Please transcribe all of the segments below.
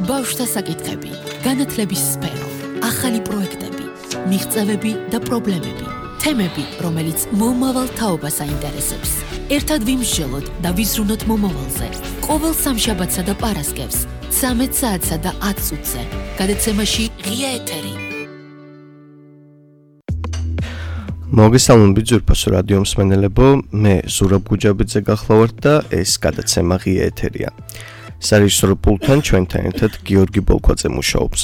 ბავშვთა საკითხები, განათლების სფერო, ახალი პროექტები, მიღწევები და პრობლემები, თემები, რომელიც მომავალ თაობას აინტერესებს. ერთად ვიმსჯელოთ და ვიზრუნოთ მომავალზე. ყოველ სამშაბათსა და პარასკევს, 13 საათსა და 10 წუთზე. გადაცემაში ღია ეთერი. მოგესალმებით ძვირფასო რადიო მსმენელებო, მე ზურაბ გუჯაბიძე გახლავართ და ეს გადაცემა ღია ეთერია. სარეჟისორო პულტთან ჩვენთან ერთად გიორგი ბოლქვაძე მუშაობს.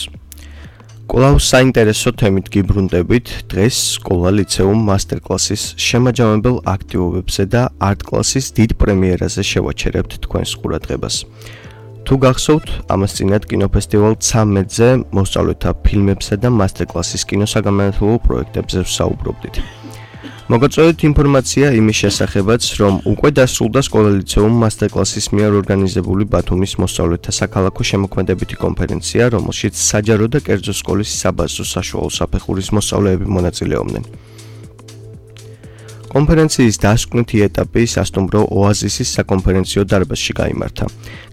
კვლავ საინტერესო თემით გიბრუნდებით დღეს სკოლა ლიცეუმ მასტერკლასის შემაჯამებელ აქტივობებზე და არტ კლასის დიდ პრემიერაზე შევაჩერებთ თქვენს ყურადღებას. თუ გახსოვთ, ამას წინათ კინოფესტივალ 13-ზე მოსწავლეთა ფილმებსა და მასტერკლასის კინოსაგანმანათლებლო პროექტებზე ვსაუბრობდით. მოგაწოდეთ ინფორმაცია იმის შესახებაც, რომ უკვე დასრულდა სკოლა ლიცეუმ მასტერკლასის მიერ ორგანიზებული ბათუმის მოსწავლეთა საქალაქო შემოქმედებითი კონფერენცია, რომელშიც საჯარო და კერძო სკოლის საბაზრო საშუალო საფეხურის მოსწავლეები მონაწილეობდნენ. კონფერენციის დასკვნითი ეტაპი სასტუმრო ოაზისის საკონფერენციო დარბაზში გაიმართა.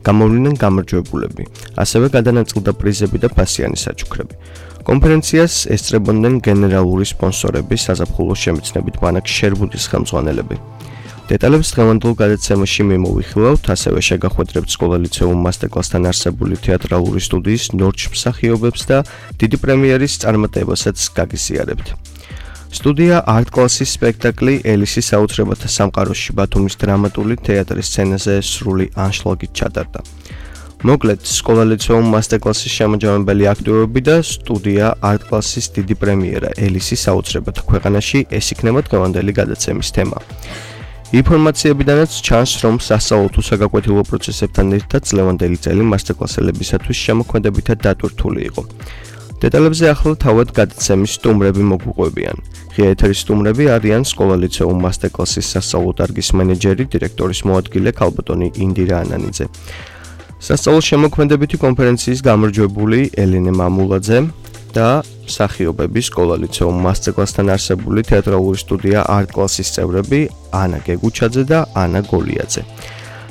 გამოვლინდნენ გამარჯვებულები, ასევე გადანაწილდა პრიზები და ფასიანი საჩუქრები. კონფერენციას ესწრებოდნენ გენერალური სპონსორები, საზაფხულო შემეცნებით ბანაკ შერბუდის ხელმძღვანელები. დეტალებს დღევანდელ გადაცემაში მიმოვიხილავთ, ასევე შეგახვედრებთ სკოლა ლიცეუმ მასტერკლასთან არსებული თეატრალური სტუდიის ნორჩ მსახიობებს და დიდი პრემიერის წარმატებასაც გაგიზიარებთ. სტუდია არტ კლასის სპექტაკლი ელისის საოცრებათა სამყაროში ბათუმის დრამატული თეატრის სცენაზე სრული ანშლაგით ჩატარდა. მოკლედ, სკოლა ლიცეუმ მასტერკლასის შემაჯამებელი აქტივობები და სტუდია არტ კლასის დიდი პრემიერა ელისის საოცრებათა ქვეყანაში ეს იქნება დღევანდელი გადაცემის თემა. ინფორმაციებიდანაც ჩანს, რომ სასწავლო თუ საგაკვეთილო პროცესებთან ერთად წლევანდელი წელი მასტერკლასელებისათვის შემოქმედებითად დატვირთული იყო. დეტალებზე ახლა თავად გადაცემის სტუმრები მოგვიყვებიან. ღია ეთერის სტუმრები არიან სკოლა ლიცეუმ მასტერკლასის სასწავლო დარგის მენეჯერი, დირექტორის მოადგილე ქალბატონი ინდირა ანანიძე. სასწავლო შემოქმედებითი კონფერენციის გამარჯვებული ელენე მამულაძე და მსახიობები სკოლა ლიცეუმ მასტერკლასთან არსებული თეატრალური სტუდია არტ კლასის წევრები ანა გეგუჩაძე და ანა გოლიაძე.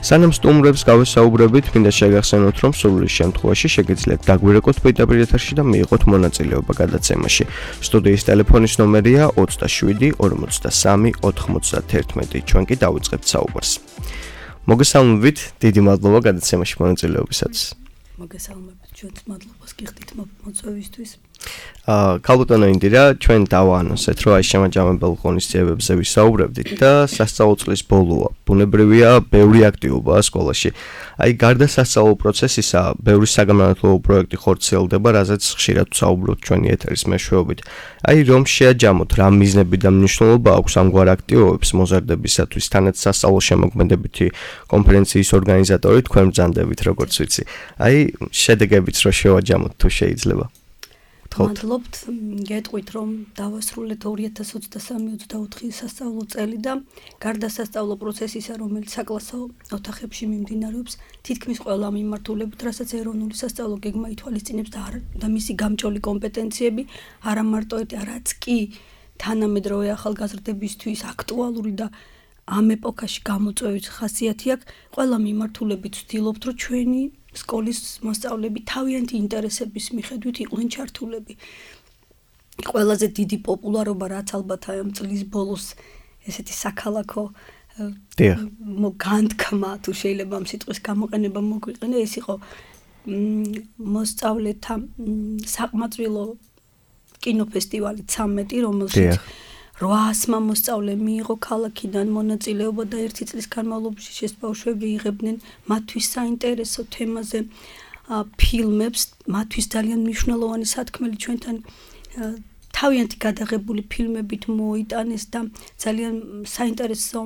სანამ სტუმრებს გავესაუბრებით, მინდა შეგახსენოთ, რომ სრული შემთხვევაში შეგიძლიათ დაგვირეკოთ პირდაპირ ეთერში და მიიღოთ მონაწილეობა გადაცემაში. სტუდიის ტელეფონის ნომერია 27 43 91. ჩვენ კი დავიწყებთ საუბარს. მოგესალმებით, დიდი მადლობა გადაცემაში მონაწილეობისათვის. მოგესალმებით, ჩვენს მადლობას გიხდით მოწვევისთვის. ქალბატონო ინდირა, ჩვენ დავაანონსეთ, რომ აი შემაჯამებელ ღონისძიებებზე ვისაუბრებდით და სასწავლო წლის ბოლოა. ბუნებრივია, ბევრი აქტივობაა სკოლაში. აი გარდა სასწავლო პროცესისა, ბევრი საგანმანათლებლო პროექტი ხორციელდება, რაზეც ხშირად ვსაუბრობთ ჩვენი ეთერის მეშვეობით. აი რომ შეაჯამოთ, რა მიზნები და მნიშვნელობა აქვს ამგვარ აქტივობებს მოზარდებისათვის, თანაც სასწავლო შემოქმედებითი კონფერენციის ორგანიზატორი თქვენ ბრძანდებით, როგორც ვიცი. აი შედეგებიც რო შევაჯამოთ თუ შეიძლება. მადლობთ, გეტყვით, რომ დავასრულეთ 2023-24 სასწავლო წელი და გარდა სასწავლო პროცესისა, რომელიც საკლასო ოთახებში მიმდინარეობს, თითქმის ყველა მიმართულებით, რასაც ეროვნული სასწავლო გეგმა ითვალისწინებს და მისი გამჭოლი კომპეტენციები, არა მარტო რაც კი თანამედროვე ახალგაზრდებისთვის აქტუალური და ამ ეპოქაში გამოწვევის ხასიათი აქვს, ყველა მიმართულებით ვცდილობთ, რომ ჩვენი სკოლის მოსწავლეები თავიანთი ინტერესების მიხედვით იყვნენ ჩართულები. ყველაზე დიდი პოპულარობა, რაც ალბათ ამ წლის ბოლოს ესეთი საქალაქო განთქმა, თუ შეიძლება ამ სიტყვის გამოყენება მოგვიყენე, ეს იყო მოსწავლეთა საყმაწვილო კინოფესტივალი 13, რომელშიც 800 მოსწავლე მიიღო ქალაქიდან მონაწილეობა და ერთი წლის განმავლობაში ეს ბავშვები იღებდნენ მათთვის საინტერესო თემაზე ფილმებს, მათთვის ძალიან მნიშვნელოვანი სათქმელი ჩვენთან თავიანთი გადაღებული ფილმებით მოიტანეს და ძალიან საინტერესო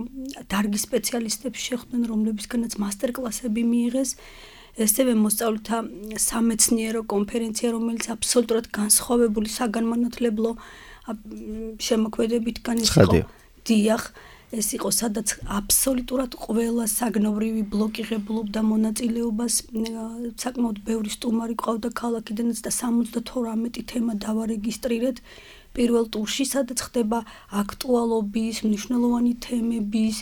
დარგის სპეციალისტებს შეხვდნენ, რომლებისგანაც მასტერკლასები მიიღეს. ასევე მოსწავლეთა სამეცნიერო კონფერენცია, რომელიც აბსოლუტურად განსხვავებული საგანმანათლებლო შემოქმედებით განისხო. დიახ, ეს იყო სადაც აბსოლუტურად ყველა საგნობრივი ბლოკი ღებულობდა მონაწილეობას, საკმაოდ ბევრი სტუმარი ყავდა ქალაქიდანაც და 78 თემა დავარეგისტრირეთ პირველ ტურში, სადაც ხდება აქტუალობის, მნიშვნელოვანი თემების,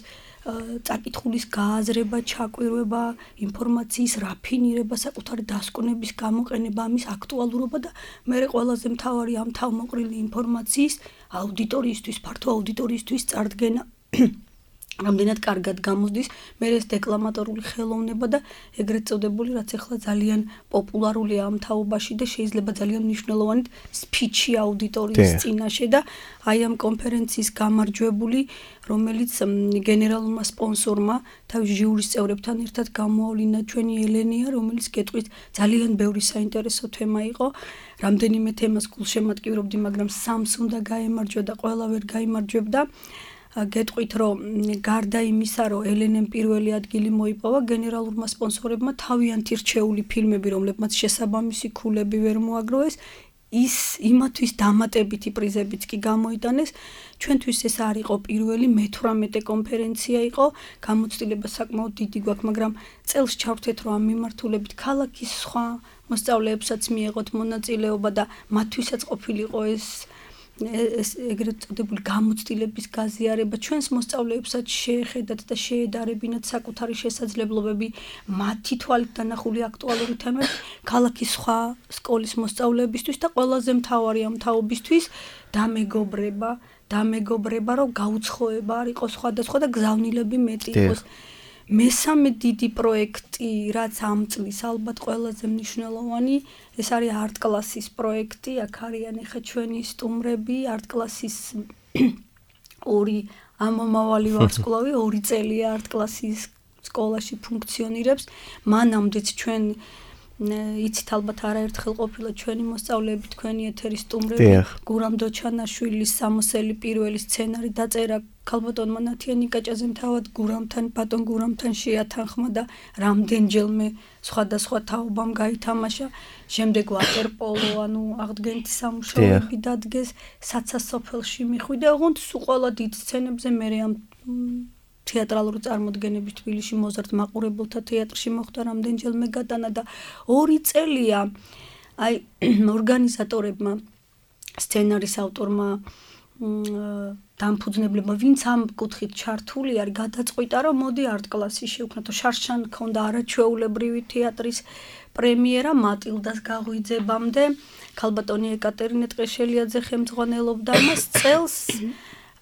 წაკითხulis გააზრება, ჩაკვირვება, ინფორმაციის რაფინირება, საკუთარი დასკვნების გამოყენება, ამის აქტუალურობა და მერე ყველაზე მთავარი ამ თავმოყრილი ინფორმაციის აუდიტორიისთვის, ფართო აუდიტორიისთვის წარდგენა რამდენად კარგად გამოსდის მე ეს დეკლამატორული ხელოვნება და ეგრეთ წოდებული რაც ახლა ძალიან პოპულარულია ამ თაობაში და შეიძლება ძალიან მნიშვნელოვანი სპიჩი აუდიტორიის წინაშე და აი ამ კონფერენციის გამარჯვებული რომელიც გენერალურმა სპონსორმა თავის ჟიურის წევრებთან ერთად გამოავლინა ჩვენი ელენია რომელიც გეტყვით ძალიან ბევრი საინტერესო თემა იყო რამდენიმე თემას გულშემატკივრობდი მაგრამ სამს უნდა გაემარჯვა და ყველა ვერ გაიმარჯვებდა გეტყვით რომ გარდა იმისა რომ ელენემ პირველი ადგილი მოიპოვა გენერალურმა სპონსორებმა თავიანთი რჩეული ფილმები რომლებმაც შესაბამისი ქულები ვერ მოაგროვეს ის იმათვის დამატებითი პრიზებიც კი გამოიტანეს ჩვენთვის ეს არ იყო პირველი მე-18 კონფერენცია იყო გამოცდილება საკმაოდ დიდი გვაქვს მაგრამ წელს ჩავთეთ რომ ამ მიმართულებით ქალაქის სხვა მოსწავლეებსაც მიეღოთ მონაწილეობა და მათთვისაც ყოფილიყო ეს ეგრეთ წოდებული გამოცდილების გაზიარება ჩვენს მოსწავლეებსაც შეეხედათ და შეედარებინათ საკუთარი შესაძლებლობები მათი თვალით დანახული აქტუალური თემები ქალაქის სხვა სკოლის მოსწავლეებისთვის და ყველაზე მთავარი ამ თაობისთვის დამეგობრება რომ გაუცხოება არ იყოს სხვადასხვა და გზავნილები მეტი იყოს მესამე დიდი პროექტი რაც ამ წლის ალბათ ყველაზე მნიშვნელოვანი ეს არის არტ კლასის პროექტი აქ არიან ახლა ჩვენი სტუმრები არტ კლასის ორი ამომავალი ვარსკვლავი 2 წელია არტ კლასის სკოლაში ფუნქციონირებს მანამდეც ჩვენ იცით ალბათ არაერთხელ ყოფილა ჩვენი მოსწავლეები თქვენი ეთერის სტუმრები გურამ დოჩანაშვილის სამოსელი პირველი სცენარი დაწერა ქალბატონმა ნათია ნიკაჭაძემ თავად ბატონ გურამთან შეათანხმა და რამდენჯერმე სხვადასხვა თაობამ გაითამაშა შემდეგ ვატერპოლო ანუ აღდგენითი სამუშაოები დადგეს საცასოფელში მიხვიდა ოღონდ სულ ყველა დიდ სცენებზე მე ამ თეატრალური წარმოდგენები თბილისში მოზარდ მაყურებელთა თეატრში მოხდა რამდენჯერმე გატანა და 2 წელია აი ორგანიზატორებმა სცენარის ავტორმა დამფუძნებლებმა ვინც ამ კუთხით ჩართული არის გადაწყვიტა რომ მოდი არტ კლასი შევქნათ შარშან ქონდა არაჩვეულებრივი თეატრის პრემიერა მატილდას გაღვიძებამდე ქალბატონი ეკატერინე ტყეშელიაძე ხელმძღვანელობდა მას წელს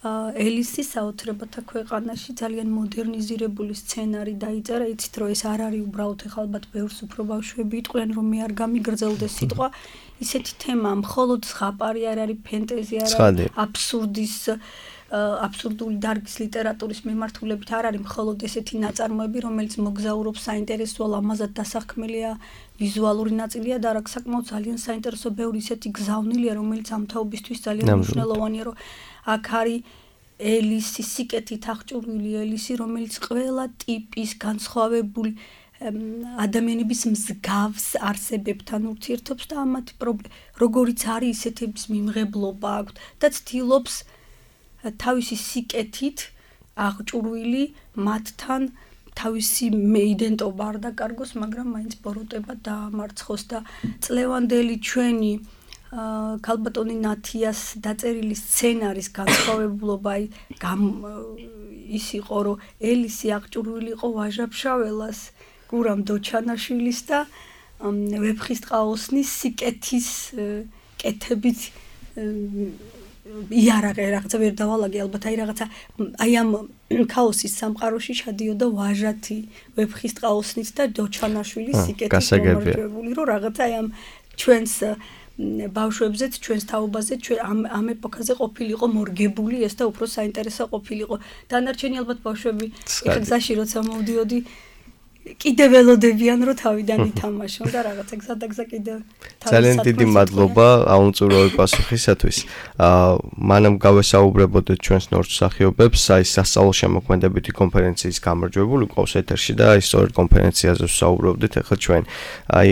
ელისი საოცრებათა ქვეყანაში ძალიან მოდერნიზირებული სცენარი დაიწერა იცით რომ ეს არ არის უბრალოდ ახლა ალბათ ბევრს უფრო ბავშვები იტყვიან რომ მე არ გამიგრძელდეს სიტყვა ისეთი თემა მხოლოდ ზღაპარი არ არის ფენტეზი არ არის აბსურდული დარგის ლიტერატურის მიმართულებით არ არის მხოლოდ ესეთი ნაწარმოები რომელიც მოგზაურობს საინტერესო ლამაზად დასაქმელია ვიზუალური ნაწილია და რა საკმაოდ ძალიან საინტერესო ბევრი ისეთი გზავნილია რომელიც ამ თაობისთვის ძალიან მნიშვნელოვანია რომ აქ არის ელისი სიკეთით აღჭურვილი ელისი რომელიც ყველა ტიპის განსხვავებული ადამიანების მსგავს არსებებთან ურთიერთობს და ამათი როგორიც არის ისეთების მიმღებლობა აქვს და ცდილობს თავისი სიკეთით აღჭურვილი მათთან თავისი იდენტობა არ დაკარგოს მაგრამ მაინც ბოროტება დაამარცხოს და წლევანდელი ჩვენი ქალბატონი ნათიას დაწერილი სცენარის განსხვავებულობა ის იყო რომ ელისი აღჭურვილი იყო ვაჟა-ფშაველას გურამ დოჩანაშვილის და ვეფხისტყაოსნის სიკეთის კეთებით იარაღე რაღაცა ვერ დავალაგე ალბათ აი ამ ქაოსის სამყაროში ჩადიოდა ვაჟათი ვეფხისტყაოსნით და დოჩანაშვილის სიკეთის გამარჯვებული რომ რაღაცა აი ამ ჩვენს ბავშვებზეც ჩვენს თაობაზე ამ ეპოქაზე ყოფილიყო მორგებული ეს და უფრო საინტერესო ყოფილიყო დანარჩენი ალბათ ბავშვები ეხლა გზაში როცა მოვდიოდი კიდევ ველოდებიან რომ თავიდან ითამაშონ და რაღაცა გზადაგზა კიდევ ძალიან დიდი მადლობა აუნწურავი პასუხისათვის მანამ გავესაუბრებოდეთ ჩვენს ნორჩ მსახიობებს აი სასწავლო შემოქმედებითი კონფერენციის გამარჯვებული ყავს ეთერში და აი სწორედ კონფერენციაზე ვსაუბრობდით ახლა ჩვენ აი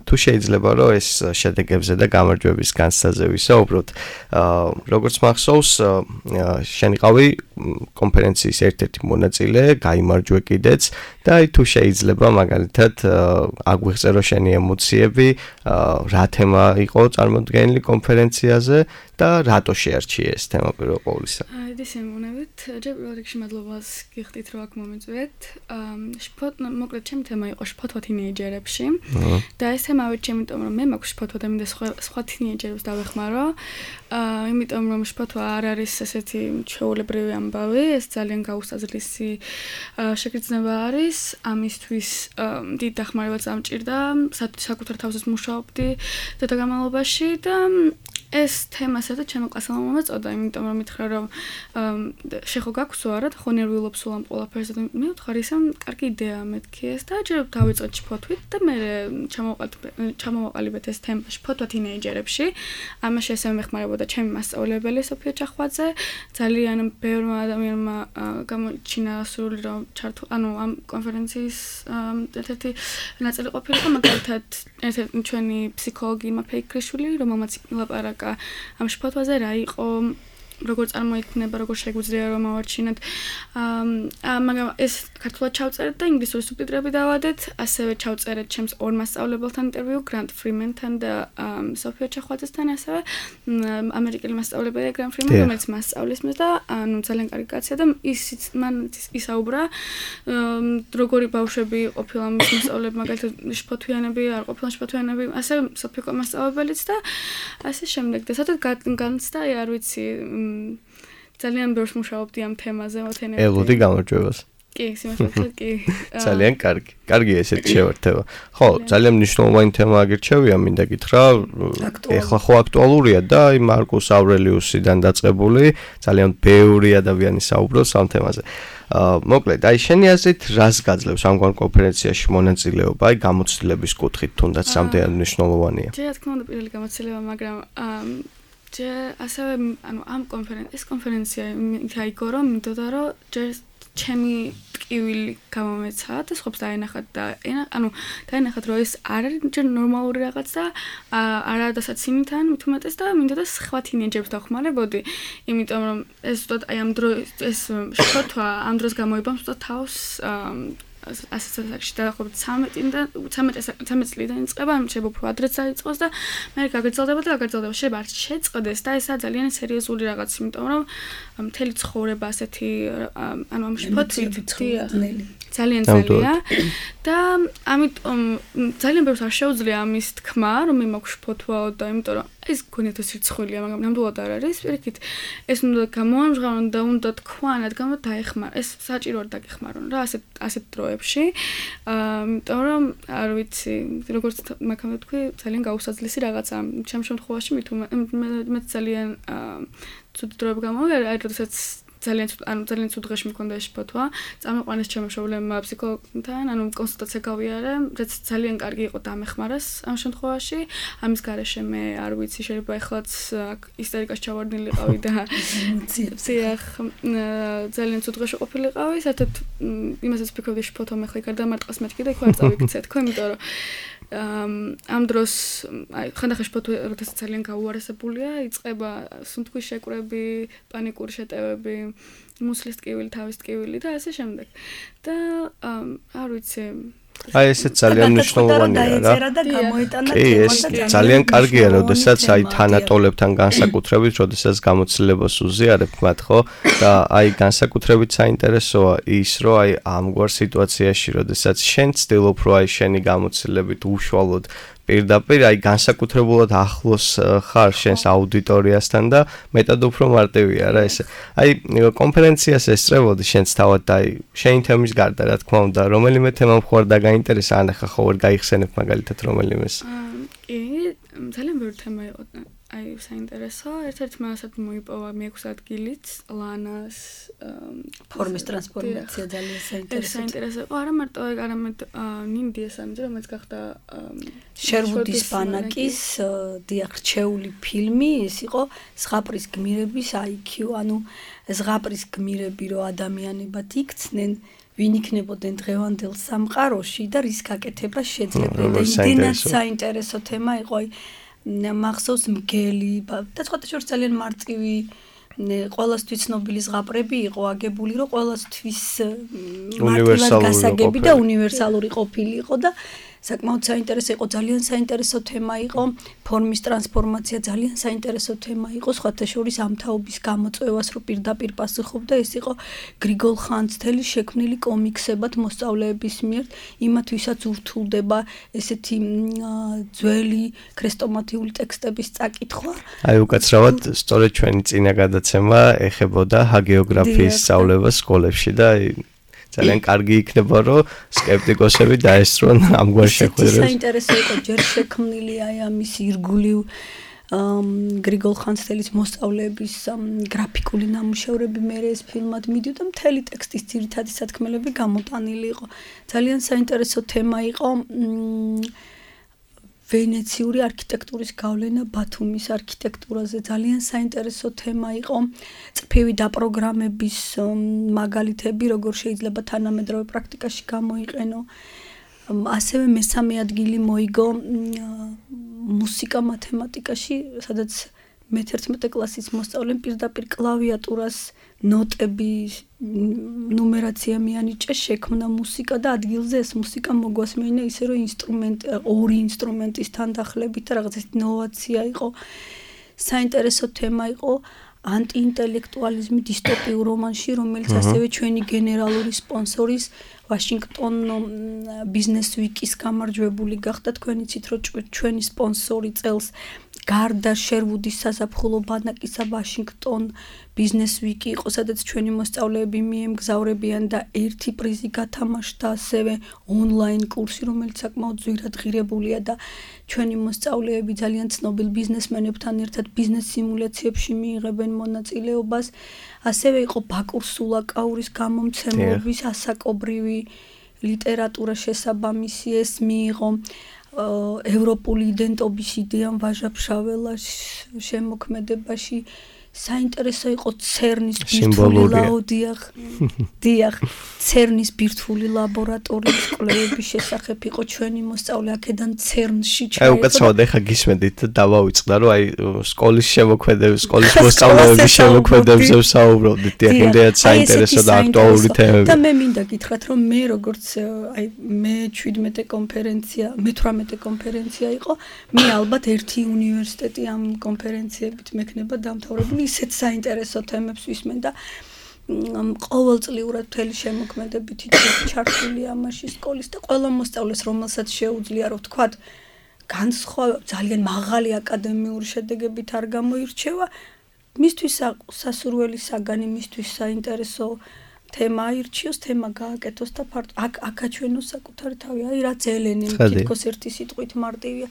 თუ შეიძლება რომ ეს შედეგებზე და გამარჯვების განსაზზე ვისაუბროთ როგორც მახსოვს შენ იყავი კონფერენციის ერთ-ერთი მონაწილე გაიმარჯვე კიდეც და აი თუ შეიძლება მაგალითად აგვიღწერო შენი ემოციები რა თემა იყო წარმოდგენილი კონფერენციაზე და რატო შეარჩიე ეს თემა პირველ ყოვლისა? ეს იმუნებით, ჯერ პირველ რიგში მადლობას გიხდით, რომ აქ მომიწვიეთ. მოკლედ ჩემი თემა იყო შფოთვა თინეიჯერებში და ეს თემა ავირჩიე, იმიტომ რომ მე მაქვს შფოთვა და მინდა სხვა თინეიჯერებს დავეხმარო. იმიტომ რომ შფოთვა არ არის ესეთი ჩვეულებრივი ამბავი, ეს ძალიან გაუსაზრდისი შეგრძნება არის. ამისთვის დიდ დახმარებას ამჭირდა, საკუთარ თავზე მუშაობდი და განმავლობაში და ეს თემა საერთოდ ჩემო კლასელმა მომეწოდა, იმიტომ რომ მითხრა რომ შეხო გაქვს არა და ხო ნერვიულობ სულ ამ ყველაფერზე და მე ვთქვი ისე კარგი იდეაა მეთქი ეს და ჯერ დავიწყოთ შფოთვით და მე ჩამოვაყალიბეთ ეს თემა შფოთვა თინეიჯერებში. ამაში ასევე მეხმარებოდა ჩემი მასწავლებელი სოფია ჩახვაძე. ძალიან ბევრმა ადამიანმა გამოიჩინა სურვილი რომ ჩართულ ამ კონფერენციის ერთ-ერთი ნაწილი ყოფილიყო, მაგალითად ერთ-ერთი ჩვენი ფსიქოლოგი იმა ფეიქრიშვილი, რომელმაც ლაპარაკა ამ შფოთვაზე რა იყო, როგორ წარმოიქმნება, როგორ შეგვიძლია რომ ავარჩინოთ. მაგრამ ეს ქართულად ჩავწერეთ და ინგლისური სუბტიტრები დავადეთ, ასევე ჩავწერეთ ჩემს ორ მასწავლებელთან ინტერვიუ, გრანტ ფრიმენთან და სოფია ჩახვაძესთან, ასევე ამერიკელი მასწავლებელია გრანტ ფრიმენი, რომელიც მასწავლის მე და ძალიან კარგი კაცია და მან ისაუბრა, როგორი ბავშვები ყოფილა მის მასწავლებლები, მაგალითად შფოთვიანები, არ ყოფილან შფოთვიანები, ასევე სოფია მასწავლებელიც და ასე შემდეგ. და სადაც განცდა, არ ვიცი, ძალიან ბევრს მუშაობდი ამ თემაზე მოთენებით. ელოდი გამარჯვებას. კი, სიმართლე კი. ძალიან კარგი. კარგია ესეთი შევერთება. ხო, ძალიან მნიშვნელოვანი თემა აგირჩევია, მინდა გითხრა. ეხლა ხო აქტუალურია და აი მარკუს ავრელიუსიდან დაწყებული ძალიან ბევრი ადამიანი საუბრობს ამ თემაზე. მოკლედ, აი შენი აზრით რას გაძლევს ამგვარ კონფერენციაში მონაწილეობა, აი გამოცდილების კუთხით თუნდაც რამდენად მნიშვნელოვანია? რა თქმა უნდა, პირველი გამოცდილება, მაგრამ ასევე ამ კონფერენცია აიგო რომ მინდოდა რომ ჯერ ჩემი ტკივილი გამომეცა და სხვებს დაენახათ და დაენახათ რომ ეს არ არის ჯერ ნორმალური რაღაც და არა დასაცინიდან მithumetes და მინდოდა სხვა თინეიჯერებს დავხმარებოდი, იმიტომ რომ ეს ზუსტად აი ამ დროს ეს შფოთვა ამ დროს გამოიბამს ზუსტად თავს ასეცაკში დაახლოებით 13 წლიდან იწყება, შეიძლება უფრო ადრეც დაიწყოს და მე გაგრძელდება და გაგრძელდება, შეიძლება არ შეწყდეს და ესაა ძალიან სერიოზული რაღაც, იმიტომ რომ მთელი ცხოვრება ასეთი ამ შფოთვით ძალიან ძალიან და ამიტომ ძალიან ბევრს არ შეუძლია ამის თქმა, რომ მე მაქვს შფოთვაო და იმიტომ რომ ეს გქონიათ სირცხვილია, მაგრამ ნამდვილად არ არის. პირიქით ეს უნდა გამოამჟღავნონ და უნდა თქვან, რადგან დაეხმარ. ეს საჭიროა დაგეხმარონ რა ასეთ დროებში. იმიტომ რომ არ ვიცი, როგორც მაგამდე თქვი, ძალიან გაუსაძლისი რაღაცა. ჩემ შემთხვევაში მე ძალიან ცუდ დროები გამოვიდა, აი როდესაც ძალიან ცუდ დღეში მქონდა შფოთვა. წამიყვანეს ჩემო მშობლებმა ფსიქოლოგთან, კონსულტაცია გავიარე, რაც ძალიან კარგი იყო დამეხმარეს ამ შემთხვევაში. ამის გარეშე მე არ ვიცი, შეიძლება ეხლაც ისტერიკაში ჩავარდნილიყავი და ძალიან ცუდ დღეში ყოფილიყავი. საერთოდ იმასაც ვფიქრობდი შფოთვა მე ხლა გარდამარტყას მეთქი და იქ არ წავიქცეთ, ხო, იმიტომ რომ ამ დროს ხანდახან შფოთვა როდესაც ძალიან გაუარესებულია, იწყება სუნთქვის შეკვრები, პანიკური შეტევები, მუსლის ტკივილი, თავის ტკივილი და ასე შემდეგ. და არ ვიცი, აი ესეც ძალიან მნიშვნელოვანია რა. კი, ეს ძალიან კარგია, როდესაც აი თანატოლებთან განსაკუთრებით, როდესაც გამოცდილებას უზიარებთ მათ, ხო? და აი განსაკუთრებით საინტერესოა ის, რომ აი ამგვარ სიტუაციაში, როდესაც შენ ცდილობ, რომ აი შენი გამოცდილებით უშუალოდ პირდაპირ აი განსაკუთრებულად ახლოს ხარ შენს აუდიტორიასთან და მეტად უფრო მარტივია რა ესე. აი კონფერენციას ესწრებოდი შენც თავად და აი შენი თემის გარდა რა თქმა უნდა, რომელიმე თემა მხარ დაგაინტერესა, ან ახლა ხო ვერ გაიხსენებ მაგალითად რომელიმეს? კი, ძალიან ბევრი თემა იყო. აი საინტერესო, ერთ-ერთმა ასეთ მოიპოვა მე-6 ადგილით, ლანას ფორმის ტრანსფორმაცია ძალიან საინტერესო. საინტერესო იყო, არა მარტო ეგ, არამედ ნინდიას ამბზე, რომელიც გახდა შერვუდის ბანაკის რჩეული ფილმი, ეს იყო ზღაპრის გმირების IQ, ანუ ზღაპრის გმირები რო ადამიანებად იქცნენ, ვინ იქნებოდნენ დღევანდელ სამყაროში და რის გაკეთება შეძლებდა. იმდენად საინტერესო თემა იყო, აი მახსოვს მგელი და სხვათა შორის ძალიან მარტივი ყველასთვის ცნობილი ზღაპრები იყო აგებული, რომ ყველასთვის მარტივად გასაგები და უნივერსალური ყოფილი იყო და საკმაოდ საინტერესო იყო, ძალიან საინტერესო თემა იყო, ფორმის ტრანსფორმაცია ძალიან საინტერესო თემა იყო, სხვათა შორის ამ თაობის გამოწვევას რო პირდაპირ პასუხობდა, ეს იყო გრიგოლ ხანძთელის შექმნილი კომიქსებად მოსწავლეების მიერ, იმათ ვისაც ურთულდება ესეთი ძველი ქრესტომათიური ტექსტების წაკითხვა. აი უკაცრავად სწორედ ჩვენი წინა გადაცემა ეხებოდა ჰაგეოგრაფიის სწავლებას სკოლებში და ძალიან კარგი იქნება, რომ სკეპტიკოსები დაესწრონ ამგვარ შეხვედრებს. საინტერესო იყო ჯერ შექმნილი აი ამის ირგვლივ გრიგოლ ხანძთელის მოსწავლეების გრაფიკული ნამუშევრები მე ეს ფილმად მიდიოდა, მთელი ტექსტის ძირითადი სათქმელები გამოტანილი იყო. ძალიან საინტერესო თემა იყო ვენეციური არქიტექტურის გავლენა ბათუმის არქიტექტურაზე. ძალიან საინტერესო თემა იყო წრფივი დაპროგრამების მაგალითები, როგორ შეიძლება თანამედროვე პრაქტიკაში გამოიყენო. ასევე მესამე ადგილი მოიგო მუსიკა მათემატიკაში, სადაც მე-11 კლასის მოსწავლემ პირდაპირ კლავიატურას ნოტების ნუმერაცია მიანიჭა, შექმნა მუსიკა და ადგილზე ეს მუსიკა მოგვასმენა ისე რომ ორი ინსტრუმენტის თანდახლებით და რაღაც ეს ინოვაცია იყო. საინტერესო თემა იყო ანტიინტელექტუალიზმი დისტოპიურ რომანში, რომელიც ასევე ჩვენი გენერალური სპონსორის ვაშინგტონ ბიზნეს ვიკის გამარჯვებული გახდა. თქვენ იცით რომ ჩვენი სპონსორი წელს გარდა შერვუდის საზაფხულო ბანაკისა ვაშინგტონ ბიზნეს ვიკი იყო, სადაც ჩვენი მოსწავლეები მიემგზავრებიან და ერთი პრიზი გათამაშდა, ასევე ონლაინ კურსი, რომელიც საკმაოდ ძვირად ღირებულია და ჩვენი მოსწავლეები ძალიან ცნობილ ბიზნესმენებთან ერთად ბიზნეს სიმულაციებში მიიღებენ მონაწილეობას. ასევე იყო ბაკურ სულაკაურის გამომცემლობის ასაკობრივი ლიტერატურა შესაბამისი, ეს მიიღო ევროპული იდენტობის იდეამ ვაჟა-ფშაველას შემოქმედებაში. საინტერესო იყო ცერნის ცერნის ბირთვული ლაბორატორიის კვლევების შესახებ იყო ჩვენი მოსწავლე აქედან ცერნში ჩაება. აი უკაცრავად ეხა გისმენდით და დავაუწყდა რომ აი სკოლის შემოქმედების, სკოლის მოსწავლეების შემოქმედებებზე ვსაუბრობდით. იმდენად საინტერესო და აქტუალური თემები. და მე მინდა გითხრათ რომ მე როგორც აი მე-17 კონფერენცია, მე-18 კონფერენცია იყო, მე ალბათ ერთი უნივერსიტეტი ამ კონფერენციებით მექნება დამთავრებული. ისეთ საინტერესო თემებს ვისმენ და ყოველწლიურად მთელი შემოქმედებითი ჩართული ამაში სკოლის და ყველა მოსწავლეს, რომელსაც შეუძლია რომ თქვათ განსხვავება ძალიან მაღალი აკადემიური შედეგებით არ გამოირჩევა, მისთვის სასურველი საგანი, მისთვის საინტერესო თემა აირჩიოს, თემა გააკეთოს და აკაჩვენოს საკუთარი თავი. აი რაც ელენი თითქოს ერთი სიტყვით მარტივია,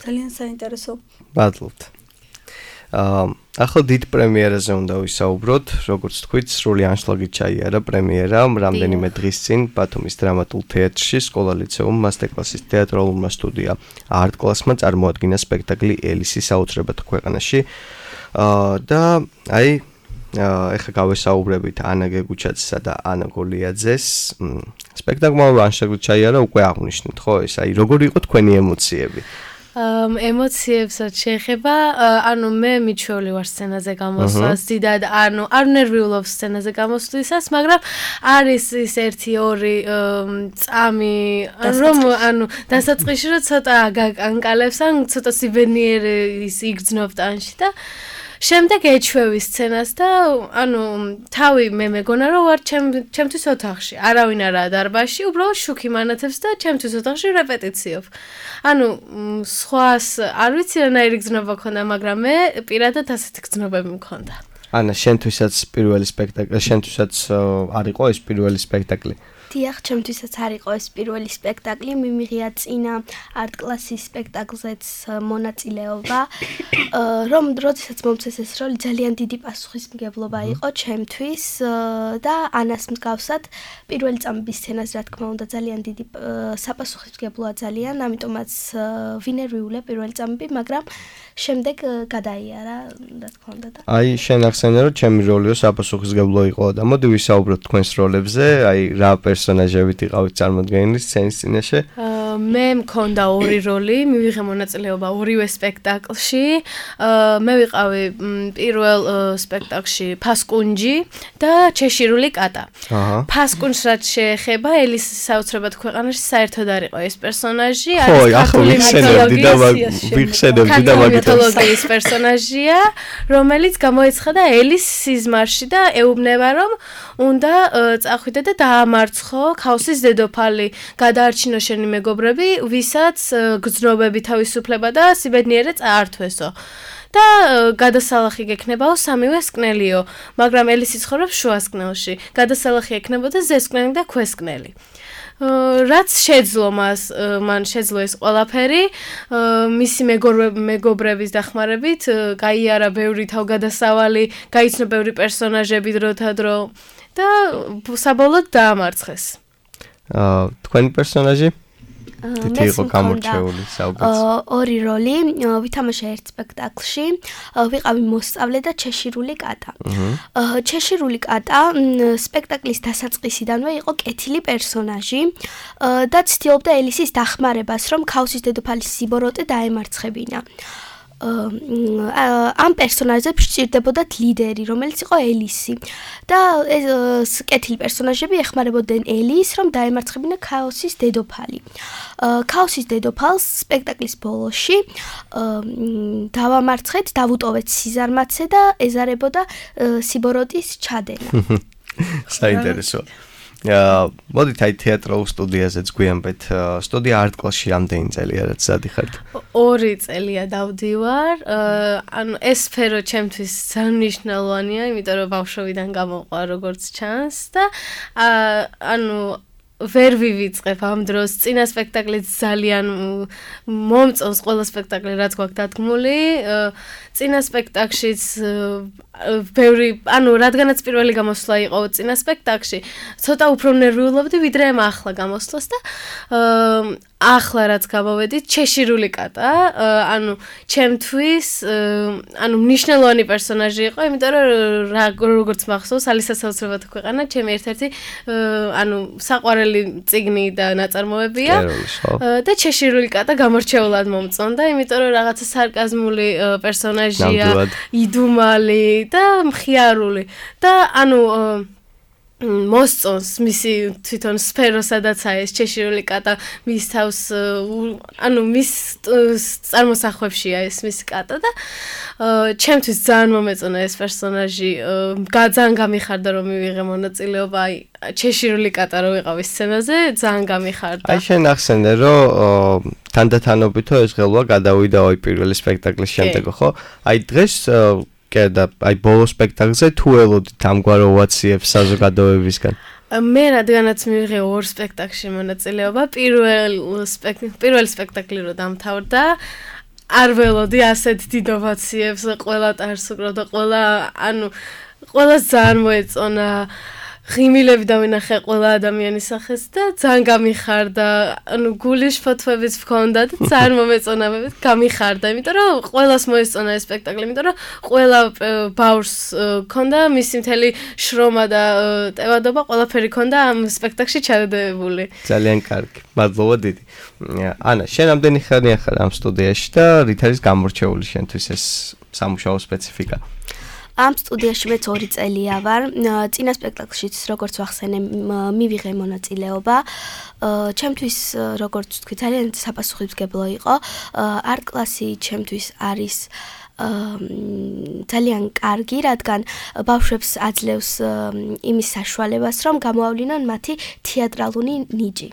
ძალიან საინტერესო. მადლობთ. ახლა დიდ პრემიერაზე უნდა ვისაუბროთ, როგორც თქვით, სრული ანშლაგით ჩაიარა პრემიერა რამდენიმე დღის წინ ბათუმის დრამატულ თეატრში, სკოლა-ლიცეუმ მასტერკლასის თეატრალურმა სტუდია არტ კლასმა წარმოადგინა სპექტაკლი ელისი საოცრებად ქვეყანაში. და აი ეხლა გავესაუბრებით ანა გეგუჩაძესა და ანა გოლიაძეს. სპექტაკლმა ანშლაგით ჩაიარა, უკვე აღნიშნეთ, ხო? ეს აი როგორი იყო თქვენი ემოციები? ემოციებსაც შეეხება, ანუ მე მიჩვეული ვარ სცენაზე გამოსვლას, დიდად არ ნერვიულობ სცენაზე გამოსვლისას, მაგრამ არის ის 1-2 წამი, რომ ანუ დასაწყისში რომ ცოტა განკალებს, ან ცოტა სიბედნიერი ის იგრძნობ ტანში და შემდეგ ეჩვევი სცენას და ანუ თავი მე მეგონა რომ ვარ ჩემთვის ოთახში, არავინ არაა დარბაზში, უბრალოდ შუქი მანათებს და ჩემთვის ოთახში რეპეტიციობ. ანუ სხვას არ ვიცი რანაირი გზნობა ქონდა, მაგრამ მე პირადად ასეთი გზნობები მქონდა. ანა, შენთვისაც პირველი სპექტაკლი, შენთვისაც არ იყო ეს პირველი სპექტაკლი? დიახ, ჩემთვისაც არ იყო ეს პირველი სპექტაკლი, მიმიღია წინა არტ კლასის სპექტაკლზეც მონაწილეობა, რომ როდესაც მომწეს ეს როლი ძალიან დიდი პასუხისმგებლობა იყო ჩემთვის და ანას მსგავსად პირველი წამების სცენაზე რა თქმა უნდა ძალიან დიდი საპასუხისმგებლოა ძალიან, ამიტომაც ვინერვიულე პირველი წამები, მაგრამ შემდეგ გადაიარა, რა თქმა უნდა და აი შენ ახსენე რომ ჩემი როლიო საპასუხისმგებლო იყო და მოდი ვისაუბროთ თქვენს როლებზე, აი რა პერსონაჟი პერსონაჟებით იყავით წარმოდგენილი სცენის წინაშე? მე მქონდა ორი როლი, მივიღე მონაწილეობა ორივე სპექტაკლში. მე ვიყავი პირველ სპექტაკლში ფასკუნჯი და ჩეშირული კატა. ფასკუნჯს რაც შეეხება, ელის საოცრებად ქვეყანაში საერთოდ არ იყო ეს პერსონაჟი, არის ქართული პერსონაჟია, რომელიც გამოეცხადა ელის სიზმარში და ეუბნება, რომ უნდა წახვიდე და დაამარცხო ქაოსის დედოფალი, გადაარჩინო შენი მეგობრები, ვისაც გრძნობები თავისუფლება და სიბედნიერე წაართვესო. და გადასალახი გექნებაო სამივე სკნელიო, მაგრამ ელის იცხოვრობს შუასკნელში. გადასალახი ექნებოდა ზესკნელი და ქვესკნელი. რაც შეძლო მან შეძლო ეს ყველაფერი, მისი მეგობრების დახმარებით, გაიარა ბევრი თავგადასავალი, გაიცნო ბევრი პერსონაჟები დროთა დრო და საბოლოოდ დაამარცხეს. თქვენი პერსონაჟი? თითი იყო გამორჩეული საუბარს. ორი როლი, ვითამაშე ერთ სპექტაკლში, ვიყავი მოსწავლე და ჩეშირული კატა. ჩეშირული კატა სპექტაკლის დასაწყისიდანვე იყო კეთილი პერსონაჟი და ცდილობდა ელისის დახმარებას, რომ ქაოსის დედოფალის სიბოროტე დაემარცხებინა. ამ პერსონაჟებს სჭირდებოდათ ლიდერი, რომელიც იყო ელისი. და ეს კეთილი პერსონაჟები ეხმარებოდნენ ელის, რომ დაემარცხებინა ქაოსის დედოფალი. ქაოსის დედოფალს სპექტაკლის ბოლოში დავამარცხეთ, დავუტოვეთ სიზარმაცე და ეზარებოდა სიბოროტის ჩადენა. საინტერესო. მოდით აი თეატრალურ სტუდიაზეც გვიანბეთ. სტუდია არტ კლასში რამდენი წელია რაც სადიხართ? 2 წელია დავდივარ. ანუ ეს სფერო ჩემთვის ძალიან მნიშვნელოვანია, იმიტომ რომ ბავშვობიდან გამოყვა როგორც ჩანს და ანუ ვერ ვივიწყებ ამ დროს. წინა სპექტაკლიც ძალიან მომწონს ყველა სპექტაკლი რაც გვაქვს დადგმული. წინა სპექტაკლშიც ბევრი, ანუ რადგანაც პირველი გამოსვლა იყო წინა სპექტაკლში, ცოტა უფრო ნერვიულობდი ვიდრე ახლა გამოსვლას და ახლა რაც გამოვედით, ჩეშირული კატა, ანუ ჩემთვის, ანუ მნიშვნელოვანი პერსონაჟი იყო, იმიტომ რომ როგორც მახსოვს, ალისა საოცრებათა ქვეყანა, ჩემი ერთ-ერთი, ანუ საყვარელი წიგნი და ნაწარმოებია და ჩეშირული კატა გამორჩეულად მომწონდა, იმიტომ რომ რაღაცა სარკაზმული პერსონაჟია, იდუმალი და მხიარული და ანუ მოსწონს მისი თვითონ სფერო სადაცაა ეს ჩეშირული კატა მის თავს ანუ მის წარმოსახვებშია ეს მის კატა და ჩემთვის ძალიან მომეწონა ეს პერსონაჟი ძალიან გამიხარდა რომ მივიღე მონაწილეობა აი ჩეშირული კატა რო ვიყავი სცენაზე ძალიან გამიხარდა აი შენ ახსენე რომ თანდათანობითო ეს ღელვა გადავიდა აი პირველი სპექტაკლის შემდეგ ხო აი დღეს და აი ბოლო სპექტაკლზე თუ ელოდით ამგვარ ოვაციებს საზოგადოებისგან მე რადგანაც მივიღე 2 სპექტაკლში მონაწილეობა პირველი სპექტაკლი რო დამთავრდა არ ველოდი ასეთ დიდ ოვაციებს ყველა ტარს უკრავდა ყველა ანუ ყველას ძალიან მოეწონა ღიმილები დავინახე ყველა ადამიანის სახეს და ძალიან გამიხარდა ანუ გულის ფოთვებიც ვქონდა და ძალიან მომეწონა მე გამიხარდა იმიტომ რომ ყველას მოეწონა ეს სპექტაკლი იმიტომ რომ ყველა ბავშვს ქონდა მისი მთელი შრომა და ტევადობა ყველაფერი ქონდა ამ სპექტაკლში ჩადებული ძალიან კარგი მადლობა დიდი ანა შენ ამდენი ხანია ხარ ამ სტუდიაში და რით არის გამორჩეული შენთვის ეს სამუშაო სპეციფიკა ამ სტუდიაში მეც 2 წელია ვარ. წინა სპექტაკლშიც როგორც ვახსენე, მივიღე მონაწილეობა. ჩემთვის როგორც ვთქვი, ძალიან საპასუხისმგებლო იყო. არტ კლასი ჩემთვის არის ძალიან კარგი, რადგან ბავშვებს აძლევს იმის საშუალებას, რომ გამოავლინონ მათი თეატრალური ნიჭი.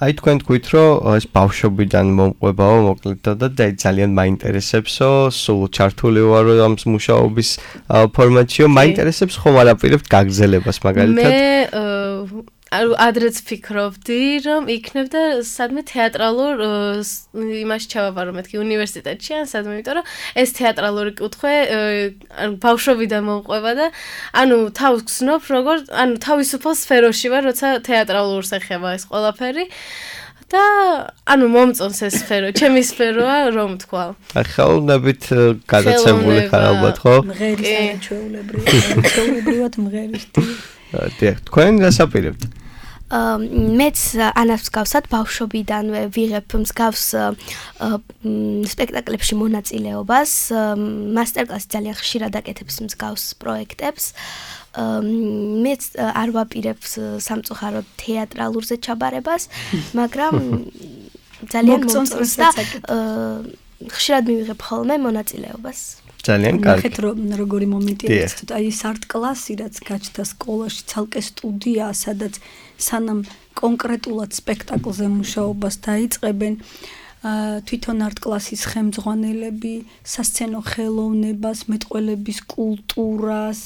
აი თქვენ თქვით რომ ეს ბავშვობიდან მომყვებაო მოკლედ და ძალიან მაინტერესებსო სულ ჩართული ვარო ამ მუშაობის ფორმატშიო მაინტერესებს ხომ არაპირებთ გაგრძელებას მაგალითად მე ადრეც ფიქრობდი რომ იქნებდა სადმე თეატრალურ იმაში ჩავაბარო მეთქი უნივერსიტეტში ან სადმე იმიტომ რომ ეს თეატრალური კუთხე ბავშვობიდან მომყვება და ანუ თავს გზნობ როგორ ანუ თავისუფალ სფეროში ვარ როცა თეატრალურს ეხება ეს ყველაფერი და ანუ მომწონს ეს სფერო ჩემი სფეროა რომ თქვა ხელოვნებით გადაცემული ხარ ალბათ ხო მღერის ჩვეულებრივად მღერის თქვენ გასაპირებთ მეც ანას მსგავსად ბავშვობიდანვე ვიღებ მსგავს სპექტაკლებში მონაწილეობას, მასტერკლასი ძალიან ხშირად აკეთებს მსგავს პროექტებს. მეც არ ვაპირებს სამწუხაროდ თეატრალურზე ჩაბარებას, მაგრამ ძალიან მომწონს და ხშირად მივიღებ ხოლმე მონაწილეობას. ძალიან კარგი. ნახეთ როგორი მომენტია ეს, აი ეს არტ კლასი რაც გაჩნდა სკოლაში, ცალკე სტუდია, სადაც სანამ კონკრეტულად სპექტაკლზე მუშაობას დაიწყებენ, თვითონ არტ კლასის ხელმძღვანელები სასცენო ხელოვნებას, მეტყველების კულტურას,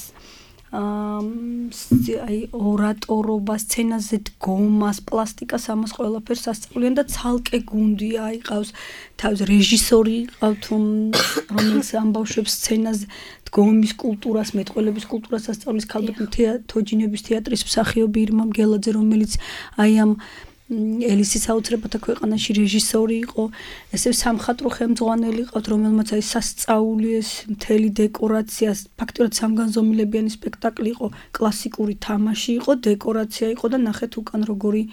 აი ორატორობას, სცენაზე დგომას, პლასტიკას, ამას ყველაფერს ასწავლიან და ცალკე გუნდი აიყავს, თავის რეჟისორი ყავთ, რომელიც ამ ბავშვებს სცენაზე დგომის კულტურას, მეტყველების კულტურას ასწავლის, ქალბატონ თოჯინების თეატრის მსახიობი ირმა მგელაძე, რომელიც აი ამ ელისის საოცრებათა ქვეყანაში რეჟისორი იყო, ესე სამხატვრო ხელმძღვანელი ყავთ, რომელმაც აი სასწაული ეს მთელი დეკორაცია, ფაქტობრივად სამგანზომილებიანი სპექტაკლი იყო, კლასიკური თამაში იყო, დეკორაცია იყო და ნახეთ უკან როგორი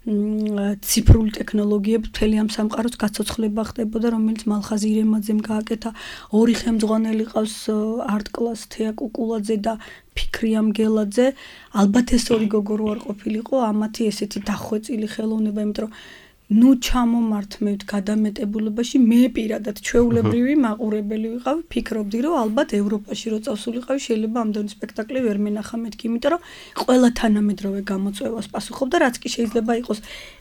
ციფრული ტექნოლოგიები მთელი ამ სამყაროს გაცოცხლება ხდებოდა, რომელიც მალხაზ ირემაძემ გააკეთა, ორი ხელმძღვანელი ყავს არტ კლას თეა კუკულაძე და ფიქრია მგელაძე, ალბათ ეს ორი გოგო რო არ ყოფილიყო, ამათი ესეთი დახვეწილი ხელოვნება, იმიტომ რომ ნუ ჩამომართმევთ გადამეტებულებაში, მე პირადად ჩვეულებრივი მაყურებელი ვიყავი, ფიქრობდი რომ ალბათ ევროპაში რო წავსულიყავი, შეიძლება ამდენი სპექტაკლი ვერ მენახა მეთქი, იმიტომ რომ ყველა თანამედროვე გამოწვევას პასუხობდა, რაც კი შეიძლება იყოს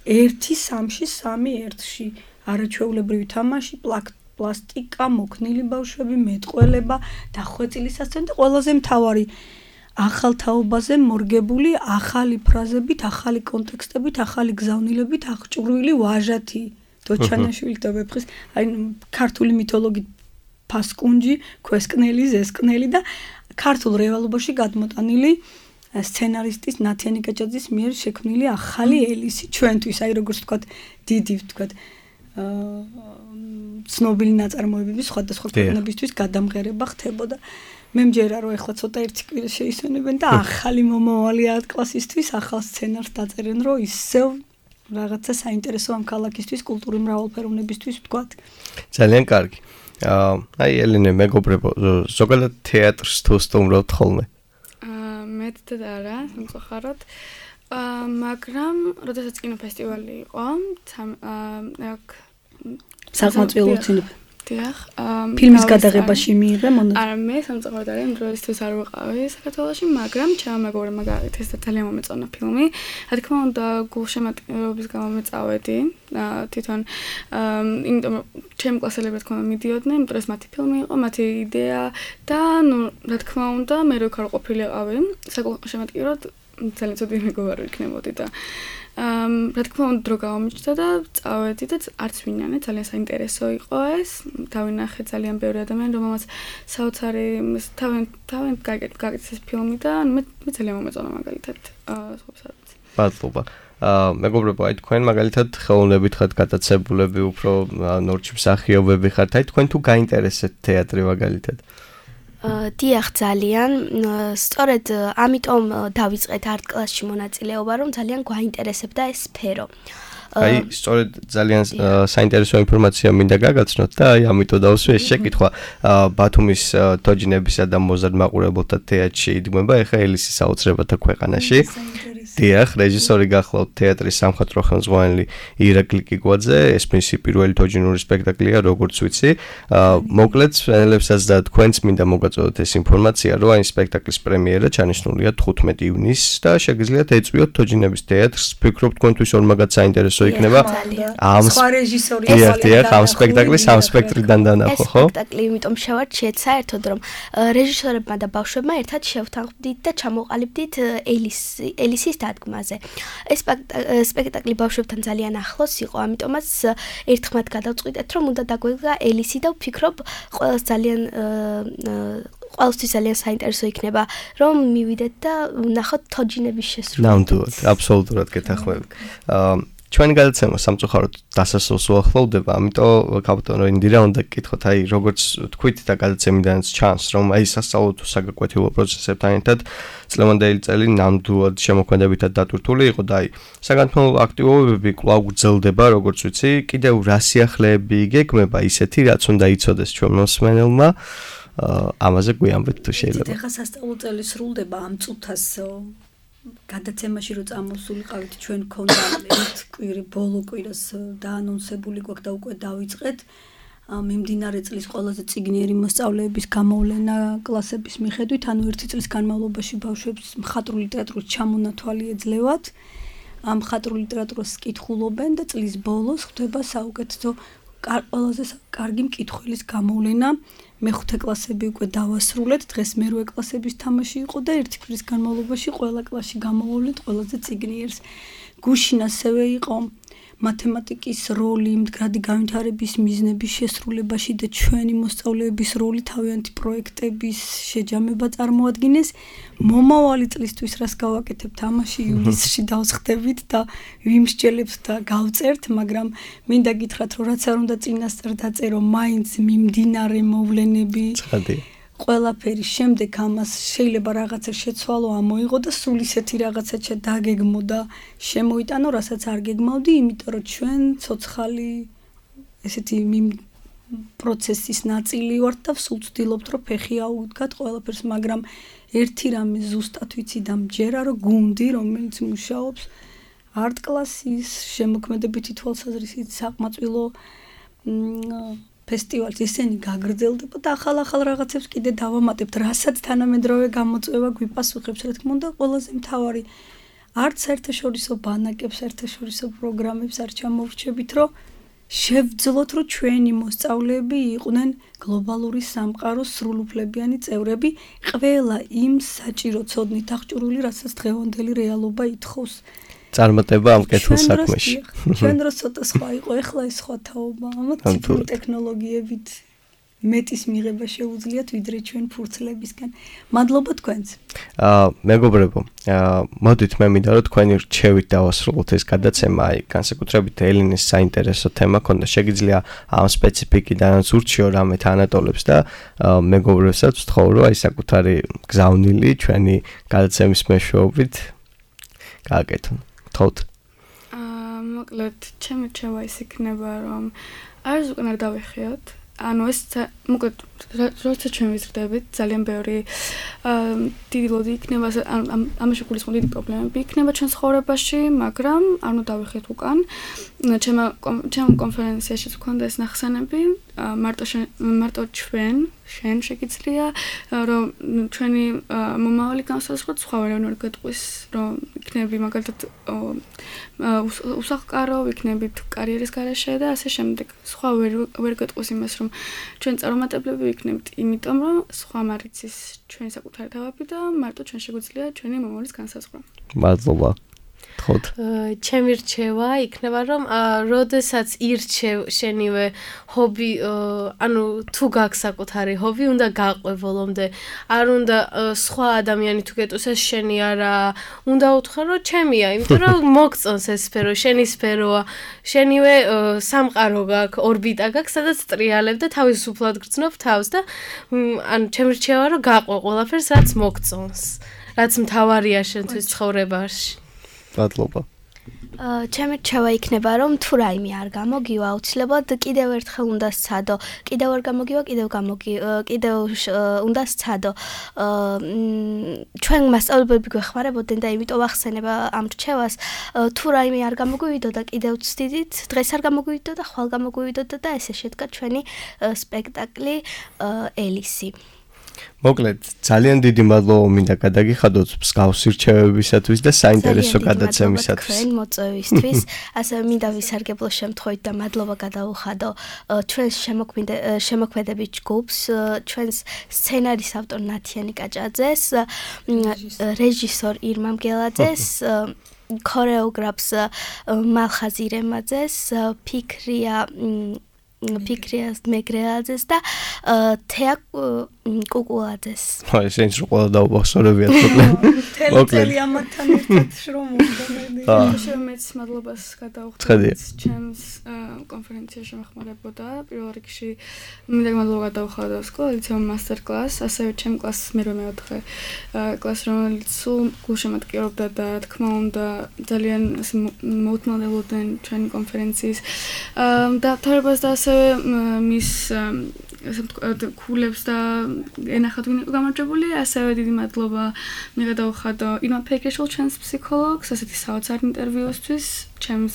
1-3-ში, 3-1-ში, არაჩვეულებრივი თამაში, პლასტიკა, მოქნილი ბავშვები, მეტყველება, დახვეწილი სასცენო და ყველაზე მთავარი ახალ თაობაზე მორგებული ახალი ფრაზებით, ახალი კონტექსტებით, ახალი გზავნილებით აღჭურვილი ვაჟათი დოჩანაშვილი და ვეფხის, აი ქართული მითოლოგით ფასკუნჯი, ქვესკნელი, ზესკნელი და ქართულ რეალობაში გადმოტანილი სცენარისტის ნათიანი კაჭაძის მიერ შექმნილი ახალი ელისი ჩვენთვის, აი როგორც ვთქვათ, დიდი ვთქვათ, ცნობილი ნაწარმოებების სხვადასხვა ქვეყნებისთვის გადამღერება ხდებოდა. მე მჯერა რომ ეხლა ცოტა ერთი კვირა შეისვენებენ და ახალი მომავალი არტ კლასისთვის ახალ სცენარს დაწერენ, რომ ისევ რაღაცა საინტერესო ამ ქალაქისთვის, კულტურის მრავალფეროვნებისთვის ვთქვათ. ძალიან კარგი. აი ელენე, მეგობრებო, ზოგადად თეატრს თუ სტუმრობთ ხოლმე? მეტად არა, სამწუხაროდ. მაგრამ როდესაც კინოფესტივალი იყო, აქ საკმაყოფილო ცნობილი დიახ, ფილმის გადაღებაში მიიღე მონაწილეობა. არა, მე სამწუხაროდ არ დროისთვის არ ვიყავი საქართველოში, მაგრამ ჩემმა მაგალითად ეს ძალიან მომეწონა ფილმი. რა თქმა უნდა, გულშემატკივრობის გამო მეწავედი, თვითონ იმიტომ რომ ჩემი კლასელები რა თქმა უნდა მიდიოდნენ, იმიტომ რომ ეს მათი ფილმი იყო, მათი იდეა და ნუ რა თქმა უნდა, მე რო ხარ ყოფილიყავი, საგულშემატკივროდ ძალიან ცუდი მეგობარი ვიქნებოდი და რა თქმა უნდა დრო გამომიჩნდა და წავედი და არც ვინანე, ძალიან საინტერესო იყო ეს. დავინახე ძალიან ბევრი ადამიანი, რომელმაც საოცარი თავენ გაკეთეს ეს ფილმი და მე ძალიან მომეწონა მაგალითად სხვასაც. მადლობა. მეგობრებო, აი თქვენ მაგალითად ხელოვნებით ხართ გატაცებულები, უფრო ნორჩი მსახიობები ხართ, აი თქვენ თუ გაინტერესებთ თეატრი მაგალითად? დიახ, ძალიან. სწორედ ამიტომ დავიწყეთ არტ კლასში მონაწილეობა, რომ ძალიან გვაინტერესებდა ეს სფერო. აი, სწორედ ძალიან საინტერესო ინფორმაცია მინდა გაგაცნოთ და აი ამიტომ დავსვი ეს შეკითხვა. ბათუმის თოჯინებისა და მოზარდ მაყურებელთა თეატრში იდგმება ეხა ელისის საოცრებათა ქვეყანაში. დიახ, რეჟისორი გახლავთ თეატრის სამხატვრო ხელმძღვანელი ირაკლი კიკვაძე, ეს მისი პირველი თოჯინური სპექტაკლია, როგორც ვიცი. მოკლედ, ფენელებსაც და თქვენც მინდა მოგაწოდოთ ეს ინფორმაცია, რომ აი სპექტაკლის პრემიერა ჩანიშნულია 15 ივნისს და შეგიძლიათ ეწვიოთ თოჯინების თეატრს. ვფიქრობ, თქვენთვის ორმაგად საინტერესო იქნება. სხვა რეჟისორი დიახ, ამ სპექტაკლის ამ სპექტრიდან დანახო, ხო? ეს სპექტაკლი იმიტომ შევარჩიეთ საერთოდ, რომ რეჟისორებმა და ბავშვებმა ერთად შევთანხმდით და ჩამოყალიბდით ელისის დადგმაზე. ეს სპექტაკლი ბავშვებთან ძალიან ახლოს იყო, ამიტომაც ერთხმად გადავწყვიტეთ, რომ უნდა დაგვედგა ელისი და ვფიქრობ, ყველასთვის ძალიან საინტერესო იქნება, რომ მივიდეთ და ვნახოთ თოჯინების შესრულება. ნამდვილად, აბსოლუტურად გეთანხმები. ჩვენი გადაცემა სამწუხაროდ დასასრულს უახლოვდება, ამიტომ კაპიტანო ინდირა უნდა გკითხოთ, აი როგორც თქვით და გადაცემიდანაც ჩანს, რომ აი სასწავლო თუ საგაკვეთილო პროცესებთან ერთად წლევანდელი წელი ნამდვილად შემოქმედებითად დატვირთული იყო და აი საგანმანათლებლო აქტივობები კვლავ გრძელდება, როგორც ვიცი, კიდევ რა სიახლეები იგეგმება ისეთი, რაც უნდა იცოდეს ჩვენ მოსმენელმა, ამაზე გვიამბეთ თუ შეიძლება. ეხლა სასწავლო წელი სრულდება ამ წუთას გადაცემაში რო წამოსულიყავით ჩვენ ქონდა ერთ კვირი ბოლო კვირას დაანონსებული გვაქვს და უკვე დავიწყეთ მიმდინარე წლის ყველაზე წიგნიერი მოსწავლეების გამოვლენა კლასების მიხედვით, ანუ ერთი წლის განმავლობაში ბავშვებს მხატვრული ლიტერატურის ჩამონათვალი ეძლევათ. ამ მხატვრული ლიტერატურას კითხულობენ და წლის ბოლოს ხდება საუკეთესო ყველაზე კარგი მკითხველის გამოვლენა. მეხუთე კლასები უკვე დავასრულეთ, დღეს მერვე კლასების თამაში იყო და ერთი კვირის განმავლობაში ყველა კლასში გამოვავლეთ ყველაზე წიგნიერს. გუშინ ასევე იყო მათემატიკის როლი მდგრადი განვითარების მიზნების შესრულებაში და ჩვენი მოსწავლეების როლი თავიანთი პროექტების შეჯამება წარმოადგენეს. მომავალი წლისთვის რას გავაკეთებთ ამაში ივლისში დავსხდებით და ვიმსჯელებთ და გავწერთ, მაგრამ მინდა გითხრათ, რომ რაც არ უნდა წინასწარ დაწერო, მაინც მიმდინარე მოვლენები ყველაფერი შემდეგ ამას შეიძლება რაღაცა შეცვალო ამოიღო და სულ ისეთი რაღაცა დაგეგმო და შემოიტანო, რასაც არ გეგმავდი, იმიტომ რომ ჩვენ ცოცხალი ესეთი პროცესის ნაწილი ვართ და სულ ვცდილობთ, რომ ფეხი აუდგათ ყველაფერს, მაგრამ ერთი რამე ზუსტად ვიცი და მჯერა, რომ გუნდი, რომელიც მუშაობს არტ კლასის შემოქმედებითი თვალსაზრისით საკმაწყვილო ფესტივალს ისინი გაგრძელდება და ახალ რაღაცებს კიდე დავამატებთ, რასაც თანამედროვე გამოწვევა გვიპასუხებს, რა თქმა უნდა, ყველაზე მთავარი არც საერთაშორისო ბანაკებს, საერთაშორისო პროგრამებს არ ჩამოვრჩებით, რომ შევძლოთ, რომ ჩვენი მოსწავლეები იყვნენ გლობალური სამყაროს სრულუფლებიანი წევრები, ყველა იმ საჭირო ცოდნით აღჭურვილი, რასაც დღევანდელი რეალობა ითხოვს. წარმატება ამ კეთილ საქმეში. ჩვენ დროს ცოტა სხვა იყო, ეხლა ეს სხვა თაობა, ამათ ციფრული ტექნოლოგიებით მეტის მიღება შეუძლიათ, ვიდრე ჩვენ ფურცლებისგან. მადლობა თქვენს. მეგობრებო, მოდით მე მინდა რომ თქვენი რჩევით დავასრულოთ ეს გადაცემა, აი განსაკუთრებით ელინის საინტერესო თემა ქონდა, შეგიძლია ამ სპეციფიკიდანაც ურჩიო რამე თანატოლებს და მეგობრებსაც ვთხოვ, რომ აი საკუთარი გზავნილი ჩვენი გადაცემის მეშვეობით გააკეთონ. მოკლედ, ჩემი რჩევა ის იქნება, რომ არის უკან არ დავიხიოთ. ანუ ეს მოკლედ, როცა ჩვენ ვიზრდებით, ძალიან ბევრი დიდი ლოდი იქნება, ამაში გულისხმობ დიდი პრობლემები იქნება ჩვენ ცხოვრებაში, მაგრამ არ უნდა დავიხიოთ უკან. ჩემ კონფერენციაშიც გქონდა ეს ნახსენები, მარტო შენ შეგიძლია, რომ ჩვენი მომავალი განსაზღვროთ, სხვა ვერ გეტყვის, რომ იქნები მაგალითად უსახლკარო, იქნებით კარიერის გარეშე და ასე შემდეგ. სხვა ვერ გეტყვის იმას, რომ ჩვენ წარუმატებლები ვიქნებით, იმიტომ რომ სხვა მარიცის ჩვენი საკუთარი თავები და მარტო ჩვენ შეგვიძლია ჩვენი მომავლის განსაზღვრა. მადლობა. ჩემი რჩევა იქნება, რომ როდესაც ირჩევ შენივე ჰობი, ანუ თუ გაქვს საკუთარი ჰობი, უნდა გაყვე ბოლომდე. არ უნდა სხვა ადამიანი თუ გეტყვის ეს შენი არა, უნდა უთხრა, რომ ჩემია, იმიტომ რომ მოგწონს ეს სფერო, შენი სფეროა, შენივე სამყარო გაქვს, ორბიტა გაქვს, სადაც ტრიალებ და თავისუფლად გრძნობ თავს და ანუ ჩემი რჩევა, რომ გაყვე ყველაფერს, რაც მოგწონს, რაც მთავარია შენთვის ცხოვრებაში. მადლობა. ჩემი რჩევა იქნება, რომ თუ რაიმე არ გამოგივა, აუცილებლად კიდევ ერთხელ უნდა სცადო. კიდევ არ გამოგივა, კიდევ უნდა სცადო. ჩვენ მასწავლებლები გვეხმარებოდნენ და იმიტომ ვახსენებ ამ რჩევას, თუ რაიმე არ გამოგვივიდო და კიდევ ვცდიდით, დღეს არ გამოგვივიდო და ხვალ გამოგვივიდო და ესე შედგა ჩვენი სპექტაკლი ელისი. მოკლედ, ძალიან დიდი მადლობა მინდა გადაგიხადოთ მსგავსი რჩევებისათვის და საინტერესო გადაცემისათვის. თქვენ მოწვევისთვის, ასევე მინდა ვისარგებლო შემთხვევით და მადლობა გადავუხადო ჩვენს შემოქმედებით ჯგუფს, ჩვენს სცენარის ავტორ ნათიანი კაჭაძეს, რეჟისორ ირმა მგელაძეს, ქორეოგრაფს მალხაზ ირემაძეს, ფიქრიას მეგრეაძეს და კუკულაძეს. აი, შენ რო ყველა დაუბახსოვრებიათ მოკლედ. თელი ამათთან ერთად შრომობდა. შემეც მადლობას გადავხდით ჩემს კონფერენციაში მეხმარებოდა. პირველ რიგში მინდა მადლობა გადავხადო სკოლისამ მასტერ-კლასს, ასევე ჩემ კლასს მე-4 კლასს, რომელიც სულ გულშემატკივრობდა და რა თქმა უნდა ძალიან მოუთმანებოდნენ ჩვენი კონფერენციის დამთავრებას და ასევე მის ქულებს და ენახათ ვინ იყო გამარჯვებული, ასევე დიდი მადლობა მიგადავხადო ირმა ფეკეშვილ ჩვენს ფსიქოლოგს, ასეთი საოცარ ინტერვიუსთვის, ჩემს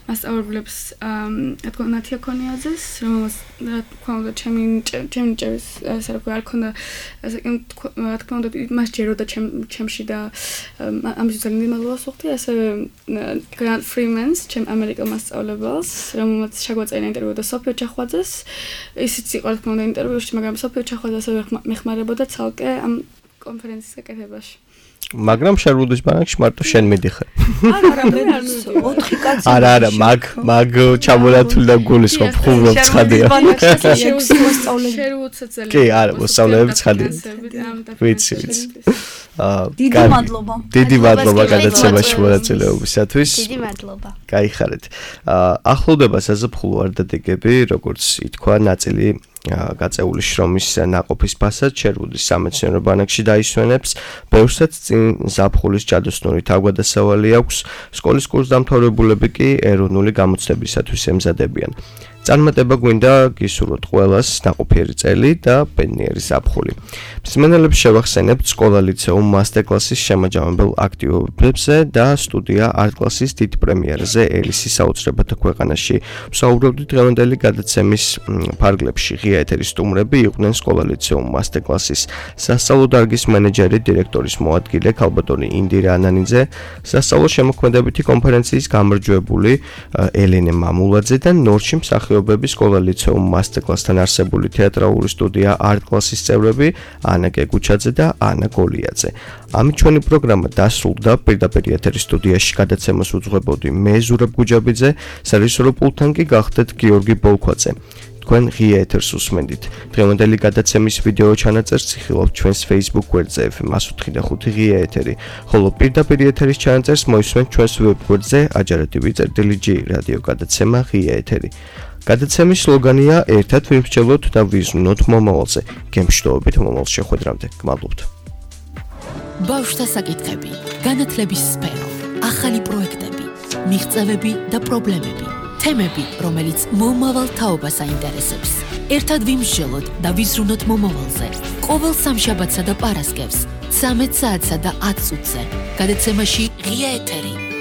მასწავლებლებს ნათია ქონიაძეს, რომელსაც რა თქმა უნდა ჩემი ჭერის საერთოდ არ ქონდა რა თქმა უნდა მას ჯეროდა ჩემში და ამის ძალიან დიდი მადლობას ვუხდი, ასევე გრანტ ფრიმენს, ჩემ ამერიკელ მასწავლებელს, რომელმაც შეგვაწერა ინტერვიუ და სოფიო ჩახვაძეს, ისიც იყო რა თქმა უნდა ინტერვიუში, მაგრამ სოფიო ჩახვაძე ასევე მეხმარებოდა ცალკე ამ კონფერენციის გაკეთებაში. მაგრამ შერვუდის ბანაკში მარტო შენ მიდიხარ. არა, 4 კაცი. არა, მაგ ჩამოლათული და გულისხმობ ხუმრობ ცხადია. შერვუდსაც ძალიან. კი, არა, მოსწავლეები ცხადია. ვიცი. დიდი მადლობა გადაცემაში მონაწილეობისათვის. დიდი მადლობა. გაიხარეთ. ახლოვდება საზაფხულო არდადეგები, როგორც ითქვა, ნაწილი გაწეული შრომის ნაყოფის ფასად შერვუდის სამეცნიერო ბანაკში დაისვენებს, ბევრსაც წინ ზაფხულის ჯადოსნური თავგადასავალი აქვს, სკოლის კურსდამთავრებულები კი ეროვნული გამოცდებისათვის ემზადებიან. წარმატება გვინდა გისურვოთ ყველას ნაყოფიერი წელი და ბედნიერი ზაფხული. მსმენელებს შევახსენებთ სკოლა-ლიცეუმ მასტერკლასის შემაჯამებელ აქტივობებზე და სტუდია არტ-კლასის დიდ პრემიერზე ელისის საოცრებათა ქვეყანაში. ვსაუბრობდით დღევანდელი გადაცემის ფარგლებში. ღია ეთერის სტუმრები იყვნენ სკოლა-ლიცეუმ მასტერკლასის სასწავლო დარგის მენეჯერი, დირექტორის მოადგილე ქალბატონი ინდირა ანანიძე, სასწავლო შემოქმედებითი კონფერენციის გამარჯვებული ელენე მამულაძე და ნორჩი მსახიობები სკოლა-ლიცეუმ მასტერკლასთან არსებული თეატრალური სტუდია არტ-კლასის წევრები ანა გეგუჩაძე და ანა გოლიაძე. ამით ჩვენი პროგრამა დასრულდა. პირდაპირ ეთერის სტუდიაში გადაცემას უძღვებოდი მე ზურაბ გუჯაბიძე, სარეჟისორო პულტთან კი გახდეთ გიორგი ბოლქვაძე. თქვენ ღია ეთერს უსმენდით. დღევანდელი გადაცემის ვიდეო ჩანაწერს იხილავთ ჩვენს Facebook გვერდზე FM105 ღია ეთერი, ხოლო პირდაპირ ეთერის ჩანაწერს მოისმენთ ჩვენს ვებ გვერდზე ajaradivi.g რადიო გადაცემა ღია ეთერი. გადაცემის სლოგანია ერთად ვიმსჯელოთ და ვიზრუნოთ მომავალზე. გემშვიდობებით მომავალ შეხვედრამდე. გმადლობთ. ბავშვთა საკითხები, განათლების სფერო, ახალი პროექტები, მიღწევები და პრობლემები. თემები, რომელიც მომავალ თაობას აინტერესებს. ერთად ვიმსჯელოთ და ვიზრუნოთ მომავალზე. ყოველ სამშაბათსა და პარასკევს 13 საათსა და 10 წუთზე. გადაცემაში ღია ეთერი.